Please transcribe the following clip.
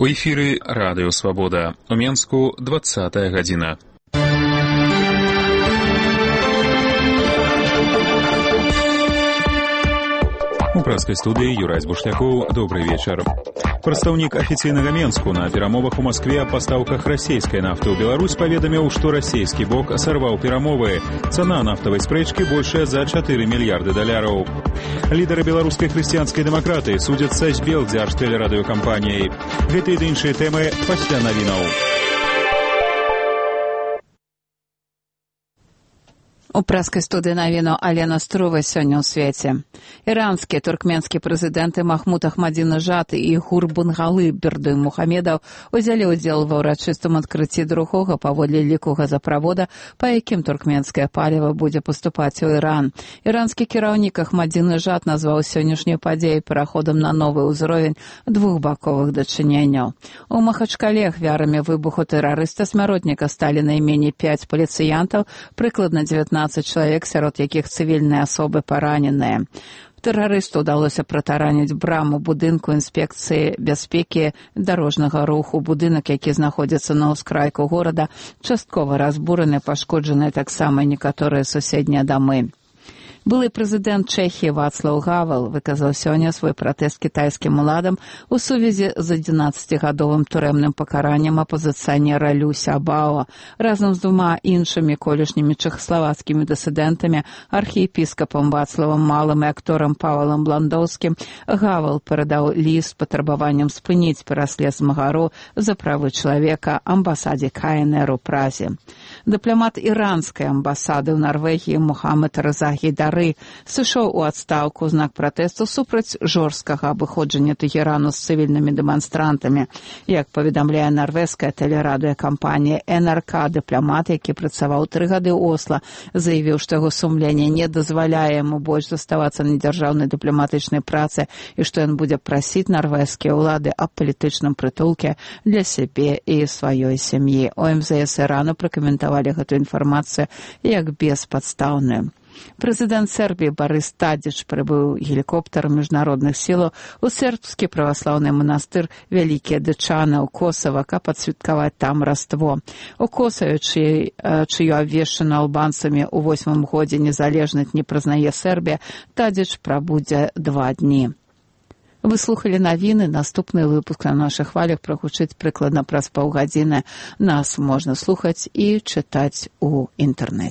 У эфіры Радыё Свабода. У Менску 20-я гадзіна. У пражскай студыі Юрай Бушлякоў. Добрый вечар. Прадстаўнік афіцыйнага Менску на перамовах у Маскве аб пастаўках расійскай нафты ў Беларусь паведаміў, што расійскі бок сарваў перамовы. Цана нафтавай спрэчкі большая за 4 мільярды даляраў. Лідары беларускай хрысціянскай дэмакратыі судзяцца з Белдзяржтэлерадыёкампаніяй. Гэтыя і іншыя тэмы пасля навінаў. У пражскай студыі навіну Алена Струва сёння ў свеце. Іранскія туркменскія прэзідэнты Махмуд Ахмадзінежад і Гурбангулы Бердымухамедаў узялі ўдзел ва ўрачыстым адкрыцці другога паводле ліку газаправода, па якім туркменскае паліва будзе паступаць у Іран. Іранскі кіраўнік Ахмадзінежад назваў сённяшнюю падзею пераходам на новы ўзровень двухбаковых дачыненняў. У Махачкале ахвярамі выбуху тэрарыста-смяротніка сталі найменей 5 паліцыянтаў, прыкладна 19 чалавек, сярод якіх цывільныя асобы параненыя. Тэрарысту ўдалося пратараніць браму будынку інспекцыі бяспекі дарожнага руху. Будынак, які знаходзіцца на ўскрайку горада, часткова разбураны, пашкоджаныя таксама некаторыя суседнія дамы. Былы прэзідэнт Чэхіі Вацлаў Гавел выказаў сёння свой пратэст кітайскім уладам у сувязі з 11-гадовым турэмным пакараннем апазіцыянера Лю Сябао. Разам з двума іншымі колішнімі чэхаславацкімі дысідэнтамі, архіепіскапам Вацлавам Малым і акторам Павалам Бландоўскім, Гавел перадаў ліст з патрабаваннем спыніць пераслед змагару за правы чалавека амбасадзе КНР у Празе. Дыпламат іранскай амбасады ў Нарвегіі Мухаммад Реза Гейдар сышоў у адстаўку ў знак пратэсту супраць жорсткага абыходжання Тэхерану з цывільнымі дэманстрантамі. Як паведамляе нарвежская тэлерадыёкампанія НРК, дыпламат, які працаваў 3 гады ў Осла, заявіў, што яго сумленне не дазваляе яму больш заставацца на дзяржаўнай дыпламатычнай працы і што ён будзе прасіць нарвежскія ўлады аб палітычным прытулке для сябе і сваёй сям'і. У МЗС Ірану пракаментавалі гэту інфармацыю як беспадстаўную. Прэзідэнт Сербіі Барыс Тадзіч прыбыў гелікоптарам міжнародных сілаў у сербскі праваслаўны манастыр Вялікія Дычаны ў Косава, каб адсвяткаваць там Раство. У Косаве, чыю абвешчаную албанцамі ў 8-м годзе незалежнасць не прызнае Сербія, Тадзіч прабудзе 2 дні. Вы слухали навіны. Наступны выпуск на нашых хвалях прагучыць прыкладна праз паўгадзіны. Нас можна слухаць і чытаць у інтэрнэце.